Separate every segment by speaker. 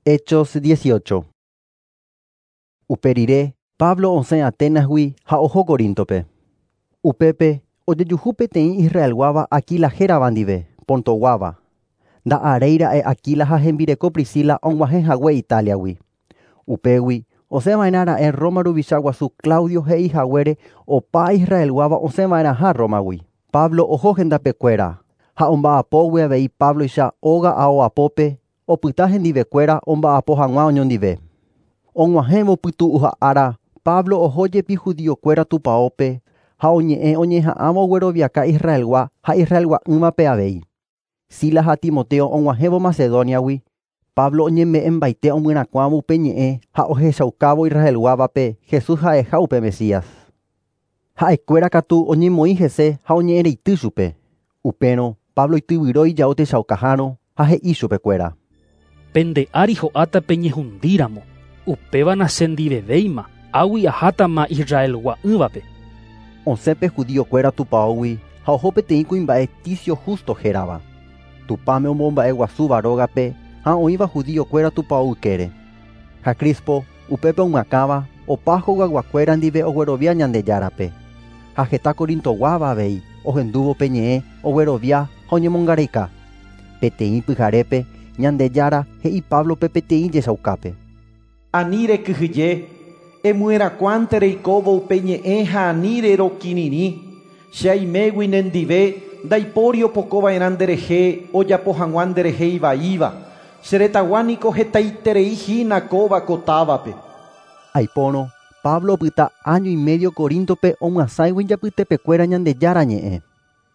Speaker 1: Hechos 18. Upe rire, Pablo osẽ Aténasgui ha oho Coríntope. Upépe ojejuhu peteĩ Israelguáva Aquila hérava ndive, Pontoguáva. Nda'aréira'e Aquila ha hembireko Priscila og̃uahẽhague Italiagui. Upégui osẽva'erãra'e Roma ruvicha guasu Claudio he'ihaguére opa Israelguáva osẽva'erãha Romagui. Pablo oho hendapekuéra ha omba'apógui avei Pabloicha óga ao'apópe opyta hendivekuéra omba'apo hag̃ua oñondive. Og̃uahẽvo pytu'uha ára, Pablo oho jepi judiokuéra tupãópe ha oñe'ẽ oñeha'ãvo ogueroviaka Israelgua ha Israelgua'ỹvape avei. Silas ha Timoteo og̃uahẽvo Macedoniagui, Pablo oñeme'ẽmbaite omyrakuãvo upe ñe'ẽ ha ohechaukávo Israelguávape Jesús ha'eha upe Mesías. Ha'ekuéra katu oñemoĩ hese ha oñe'ẽreity chupe. Upérõ Pablo ityvyro ijao techaukahárõ ha he'i chupekuéra.
Speaker 2: Pende ári ho'áta peñehundíramo. Upéva nachendivevéima, águi ahátama Israelgua'ỹvape.
Speaker 1: Osẽ pe judiokuéra tupãógui ha oho peteĩ kuimba'e Ticio Justo hérava. Tupãme omomba'eguasúva rógape ha oĩva judiokuéra tupão ykére. Ha Crispo upépe omyakãva opa hogayguakuéra ndive oguerovia Ñandejárape. Ha heta Corintoguáva avei ohendúvo pe ñe'ẽ oguerovia ha oñemongareika. Peteĩ pyharépe Ñandejára he'i Pablope peteĩ jechaukápe.
Speaker 3: Ani rekyhyje, emyerakuãnte reikóvo upe ñe'ẽ ha ani rerokirirĩ. Che aimégui nendive ndaipóri opokova'erã nderehe ojapo hag̃ua nderehe ivaíva. Che retãgua niko hetaiterei hína kóva ko távape.
Speaker 1: Aipórõ Pablo opyta año y medio Coríntope omyasãigui ijapytepekuéra Ñandejára ñe'ẽ.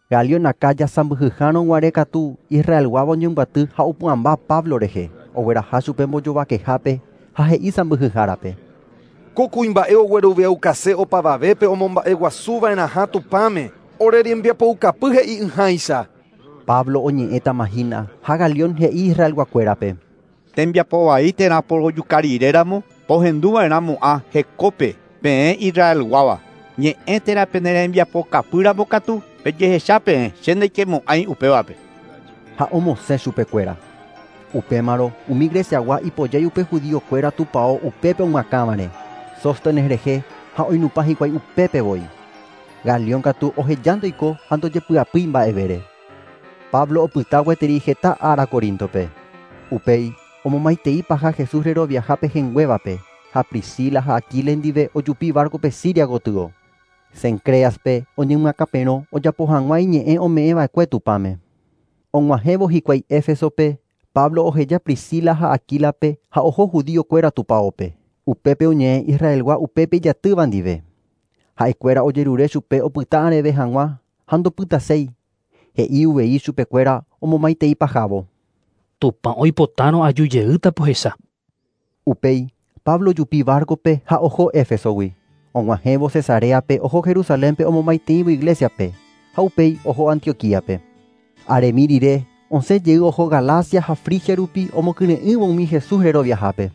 Speaker 1: Galión Acaya sãmbyhyhárõ katu Israelguáva oñembyaty ha opu'ãmba Pablo rehe, ogueraha chupe mbojovakehápe ha he'i sãmbyhyhárape.
Speaker 4: Ko kuimba'e ogueroviaukase opavavépe omomba'eguasuva'erãha Tupãme, ore rembiapoukapy he'i'ỹháicha.
Speaker 1: Pablo oñe'ẽtama hína ha Galión he'i Israelguakuérape.
Speaker 5: Tembiapo vai térã porojukariréramo pohenduva'erãmo'ã hekópe peẽ Israelguáva. Ñe'ẽ térã pene rembiapokapýramo katu pejehecha peẽ che ndaikemo'ãi upévape.
Speaker 1: Ha omosẽ chupekuéra. Upémarõ umi Greciagua ipojái upe judiokuéra tupão upépe omyakãvare. Sóstenes rehe ha oinupã hikuái upépe voi. Galión katu ohejánte oiko ha ndojepy'apýi mba'evére. Pablo opyta gueteri heta ára Coríntope. Upéi omomaitei paha Jesús reroviahápe henguévape ha Priscila ha Aquila ndive ojupi barco-pe Siria gotyo. Cencreaspe oñemyakãperõ ojapo hag̃ua iñe'ẽ ome'ẽva'ekue Tupãme. Og̃uahẽvo hikuái Éfesope, Pablo oheja Priscila ha Aquilape ha oho judiokuéra tupãópe. Upépe oñe'ẽ Israelgua upépe ijatýva ndive. Ha'ekuéra ojerure chupe opyta areve hag̃ua ha ndopytaséi. He'i uvei chupekuéra omomaitei pahávo.
Speaker 2: Tupã oipotárõ ajujeýta pohecha.
Speaker 1: Upéi Pablo ojupi barco-pe ha oho Éfesogui. Og̃uahẽvo Cesareape oho Jerusalénpe omomaiteívo iglesiape ha upéi oho Antioquíape. Aremi rire osẽ jey oho Galacia ha Frigia rupi omokyre'ỹvo umi Jesús reroviahápe.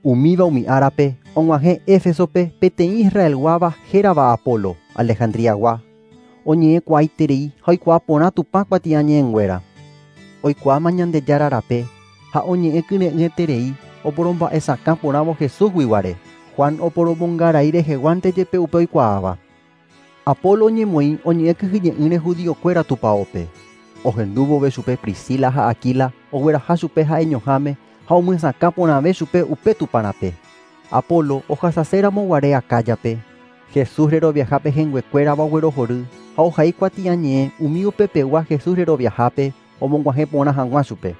Speaker 1: Umíva umi árape og̃uahẽ Éfesope peteĩ Israelguáva hérava Apolo, Alejandriagua. Oñe'ẽkuaaiterei ha oikuaa porã Tupã kuatiañe'ẽnguéra. Oikuaáma Ñandejára rape ha oñe'ẽ kyre'ỹeterei oporomba'esakã porãvo Jesúsgui guare. Juan oporomongarai reheguánte jepe upe oikuaáva. Apolo oñemoĩ oñe'ẽ kyhyje'ỹre judiokuéra tupãópe. Ohendúvove chupe Priscila ha Aquila ogueraha chupe ha'eñoháme ha omyesakã porãve chupe upe Tupãrape. Apolo ohasaséramo guare Acáyape, Jesús reroviahápe henguekuérava oguerohory ha ohai kuatiañe'ẽ umi upepegua Jesús reroviahápe omog̃uahẽ porã hag̃ua chupe.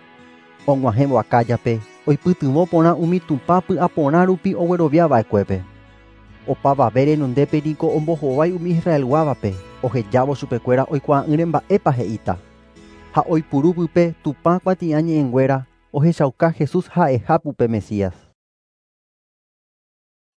Speaker 1: Og̃uahẽvo Acáyape oipytyvõ porã umi Tupã py'aporã rupi ogueroviava'ekuépe. Opavave renondépe niko ombohovái umi Israelguávape ohejávo chupekuéra oikuaa'ỹre mba'épa he'íta. Ha oipuru pype Tupã kuatiañe'ẽnguéra ohechauka Jesús ha'eha upe Mesías.